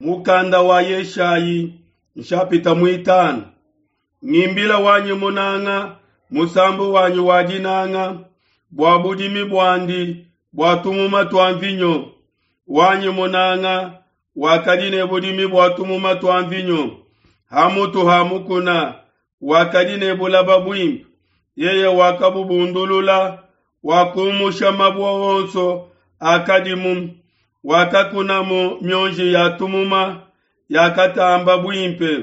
Mukanda wa Yeshayi nshapita muitanu. Ngimbila wanyi munanga musambu wanyi wa dinanga bua budimi buandi bua tumuma tua mvinyo. Wanyi munanga wakadi ne budimi bua tumuma tua mvinyo ha mutu ha mukuna, wakadi ne bulaba buimpe. Yeye wakabubundulula, wakumusha mabue onso akadimu, wakakunamu mionji ya tumuma yakatamba buimpe,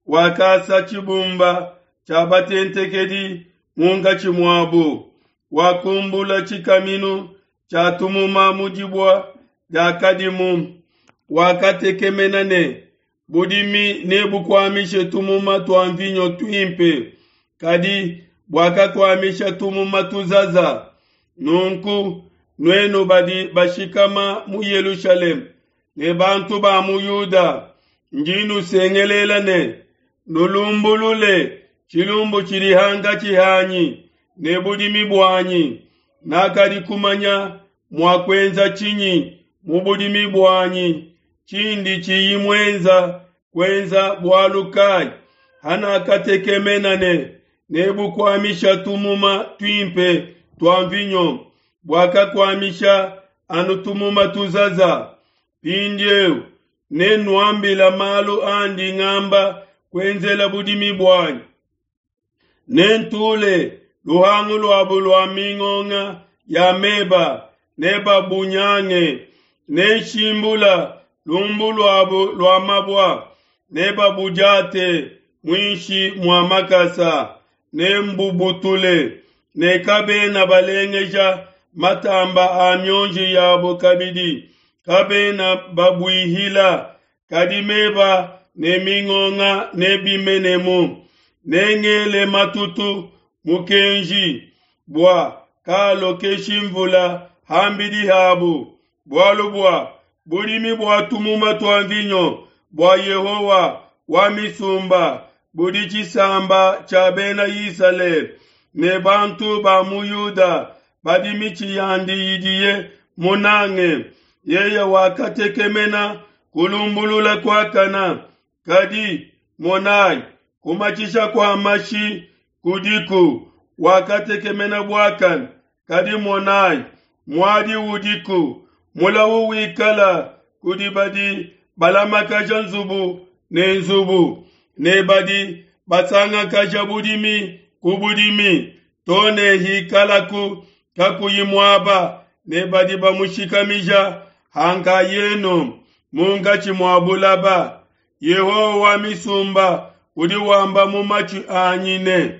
wakasa tshibumba tshia batentekedi munkatshi muabu, wakumbula tshikaminu tshia tumuma mu dibua diakadimu, wakatekemena ne budimi nebukuamishe tumuma tua mvinyo tuimpe, kadi buakakuamisha tumuma tuzaza. Nunku nuenu badi bashikama mu Yelushalema ne bantu ba mu Yuda, ndi nusengelela ne, nulumbulule tshilumbu tshidi hankatshi hanyi ne budimi buanyi. Nakadi kumanya mua kuenza tshinyi mu budimi buanyi tshindi tshiyi muenza kuenza bualu kai? Hanakatekemena ne nebukuamisha tumuma tuimpe tua mvinyo, buakakuamisha anu tumuma tuzaza. Mpindieu nennuambila malu andi ngamba kuenzela budimi buanyi. Nentule luhangu luabu lua mingonga ya meba, nebabunyange. Nenshimbula lumbu luabu lua mabua, nebabudiate muinshi mua makasa. Nembubutule, ne kabena balengeja matamba a mionji yabo kabidi, kabena babuihila, kadi meba ne mingonga nebimenemu. Nengele matutu mukenji bua kalokeshi mvula hambidi habu, bualu bua budimi bua tumuma tua mvinyo bua Yehowa wa misumba budi tshisamba tshia Bena Isalele ne bantu ba mu Yuda badi mitshi yandi idiye munange. Yeye wakatekemena kulumbulula kuakana, kadi monai, kumatshisha kua mashi kudiku. Wakatekemena buakane, kadi monai, muadi udiku. Mulawu wikala kudi badi balamakaja nzubu ne nzubu, ne badi basangakaja budimi ku budimi, to ne hikalaku kakuyi muaba, ne badi bamushikamija hankayenu munkatshi mua bulaba. Yehowa wa misumba udi wamba mu matshi anyi ne,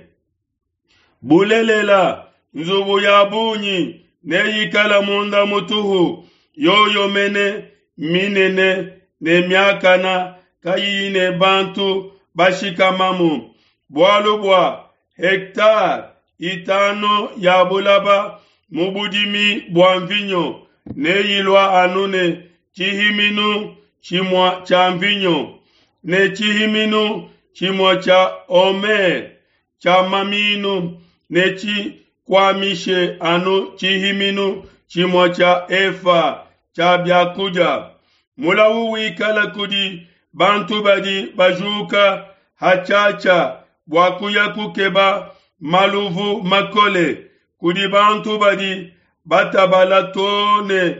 Bulelela, nzubu ya bungi neyikale munda mutuhu, yoyo mene minene ne miakana kayiyi ne bantu bashikamamu, bualu bua hectare itanu ya bulaba mu budimi bua mvinyo neyilua anu ne tshihiminu tshimue tshia mvinyo, ne tshihiminu tshimue tshia homer tshia maminu netshikuamishe anu tshihiminu tshimue tshia efa tshia biakudia. Mulawu wikala kudi bantu badi bajuka hatshiatshia bua kuya kukeba maluvu makole, kudi bantu badi batabala to ne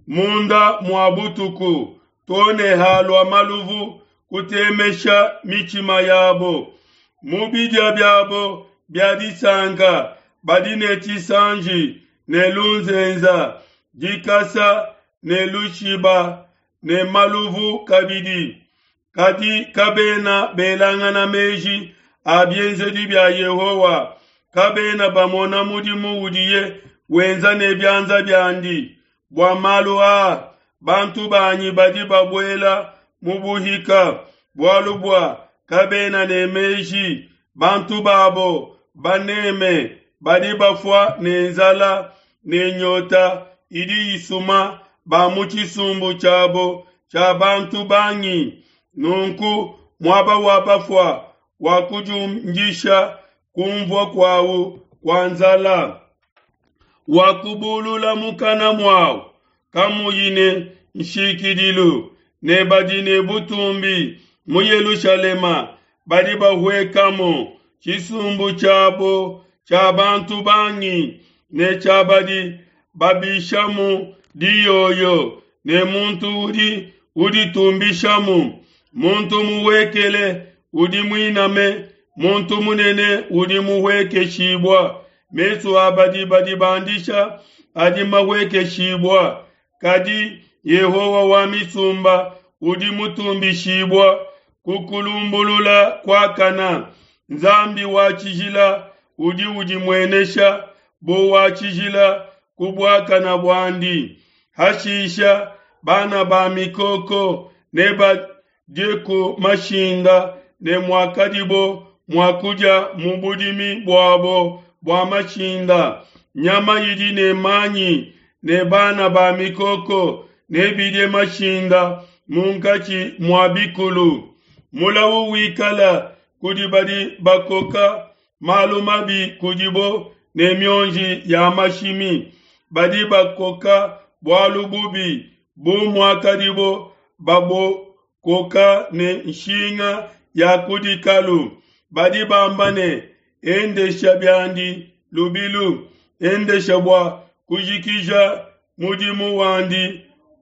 munda mua butuku, to ne halua maluvu kutemesha mitshima yabo. Mu bidia biabo bia disanka badi ne tshisanji ne lunzenza, dikasa ne lushiba ne maluvu kabidi, kadi kabena belangana meji a bienzedi bia Yehowa, kabena bamona mudimu udiye wenza ne bianza biandi. Bua malu aa bantu banyi badi babuela mu buhika, bualu bua kabena ne meji. Bantu babo baneme badi bafua ne nzala ne nyota idi isuma ba mu tshisumbu tshiabo tshia bantu bangi. Nunku muaba wa bafua wakudiundisha kunvua kuawu kua nzala, wakubulula mukana muawu kamuyi ne nshikidilu. ne badi ne butumbi mu Yelushalema badi bahuekamu, tshisumbu tshiabo tshia bantu bangi ne tshia badi babishamu diyoyo, ne muntu udi uditumbishamu, muntu muhuekele udi muiname, muntu munene udi muhuekeshibua. Mesu a badi badibandisha adi mahuekeshibua, kadi Yehowa wa misumba udi mutumbishibua ku kulumbulula kuakana. Nzambi wa tshijila udi udimuenesha bu wa tshijila ku buakana buandi. Hashisha bana ba mikoko nebadie ku mashinda ne muakadibo mua kudia mu budimi buabo bua mashinda. Nyama idi ne manyi ne bana ba mikoko nebidie mashinda munkatshi mua bikulu. Mulawu wikala kudi badi bakoka malu mabi kudibo ne mionji ya mashimi, badi bakoka bualu bubi bu muakadibo babokoka ne nshinga ya ku dikalu. Badi bamba ne, Endesha biandi lubilu, endesha bua kujikija mudimu wandi,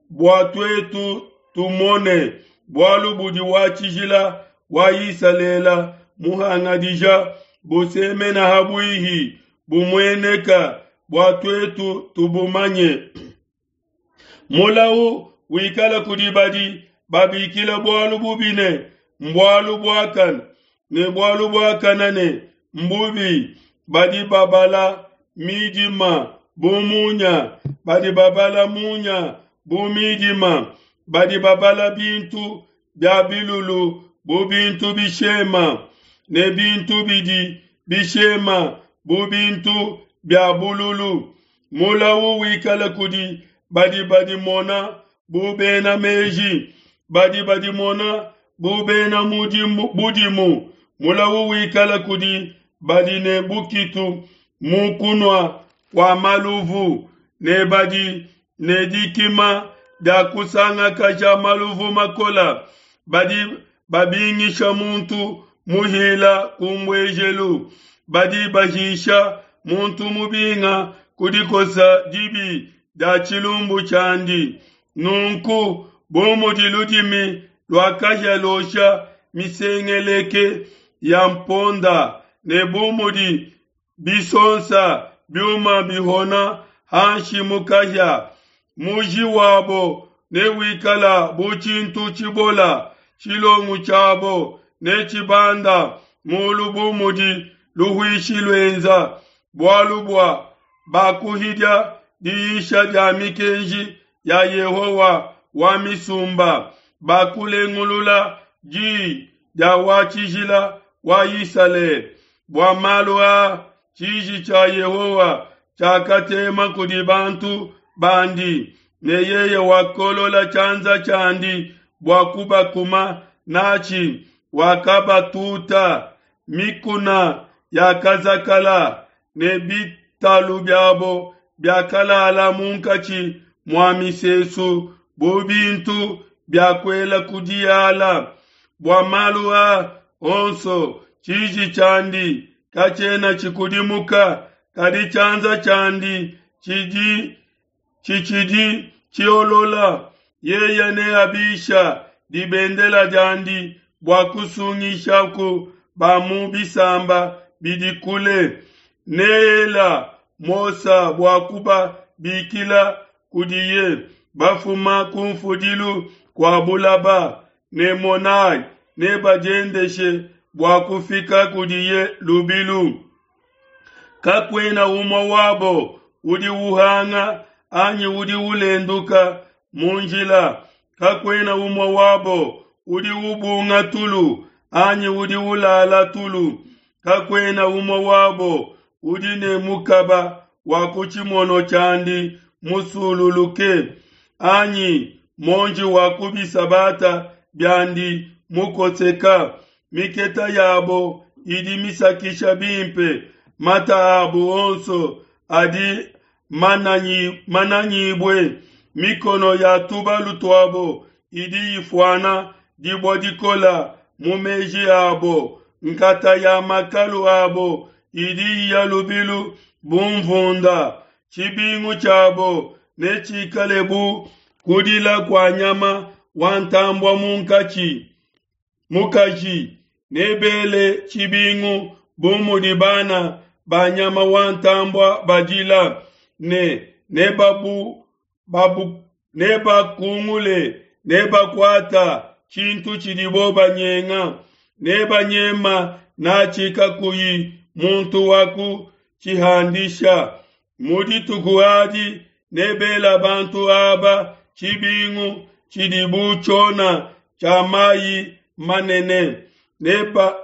bua tuetu tumone bualu budi wa tshijila wa Isalele muhangadija busemena ha buihi, bumueneka bua tuetu tubumanye. Mulawu wikala kudi badi babikila bualu bubi ne, mbualu buakane, ne bualu buakane ne, mbubi, badi babala midima bu munya, badi babala munya bu midima, badi babala bintu bia bilulu bu bintu bishema, ne bintu bidi bishema bu bintu bia bululu. Mulawu wikala kudi badi badimona bu bena meji, badi badimona bu bena mudimu, budimu. Mulawu wikala kudi badi ne bukitu mu kunua kua maluvu ne badi ne dikima dia kusangakaja maluvu makola, badi babingisha muntu muhila ku mbuejelu, badi bahisha muntu mubinga ku dikosa dibi dia tshilumbu tshiandi. Nunku bu mudi ludimi lua kahia luosha misengeleke ya mponda, ne bu mudi bisonsa biuma bihona hanshi mu kahia, muji wabo newikala bu tshintu tshibola, tshilongo tshiabo netshibanda mulu bu mudi luhuishi luenza, bualu bua bakuhidia diyisha dia mikenji ya Yehowa wa misumba, bakulengulula di dia wa tshijila wa Isalele. Bua malu aa tshiji tshia Yehowa tshiakatema kudi bantu bandi, ne yeye wakolola tshianza tshiandi bua kubakuma natshi, wakabatuta. Mikuna yakazakala, ne bitalu biabo biakalala munkatshi mua misesu bu bintu bia kuela ku diala. Bua malu aa onso tshiji tshiandi katshiena tshikudimuka, kadi tshianza tshiandi tshidi tshitshidi tshiolola. Yeye neabisha dibendela diandi bua kusungishaku ba mu bisamba bidi kule. Neela Mosa bua kubabikila kudiye bafuma ku mfudilu kua bulaba, ne monai, nebadiendeshe bua kufika kudiye lubilu. Kakuena umue wabo udi uhanga anyi udi ulenduka mu njila, kakuena umue wabo udi ubunga tulu anyi udi ulala tulu, kakuena umue wabo udi ne mukaba wa ku tshimono tshiandi musululuke, anyi muonji wa ku bisabata biandi mukoseka. Miketa yabo idi misakisha bimpe, mata abo onso adi mananyibue, mikono ya tubalu tuabo idi ifuana dibue dikole mu meji abo, nkata ya makalu abo idi iya lubilu bu mvunda. Tshibingu tshiabo netshikale bu kudila kua nyama wa ntambue munkatshi. Mukaji nebele tshibingu bu mudi bana ba nyama wa ntambue badila, ne nebabu babu nebakungule nebakuata tshintu tshidibo banyenga, nebanyema natshi kakuyi muntu wa kutshihandisha. Mu dituku adi nebela bantu aba tshibingu tshidi bu tshiona tshia mayi manene, neba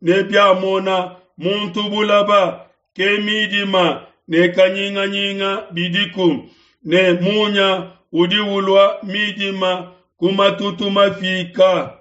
ne biamona muntu bulaba, ke midima ne kanyinganyinga bidiku, ne munya udi ulua midima ku matutu mafika.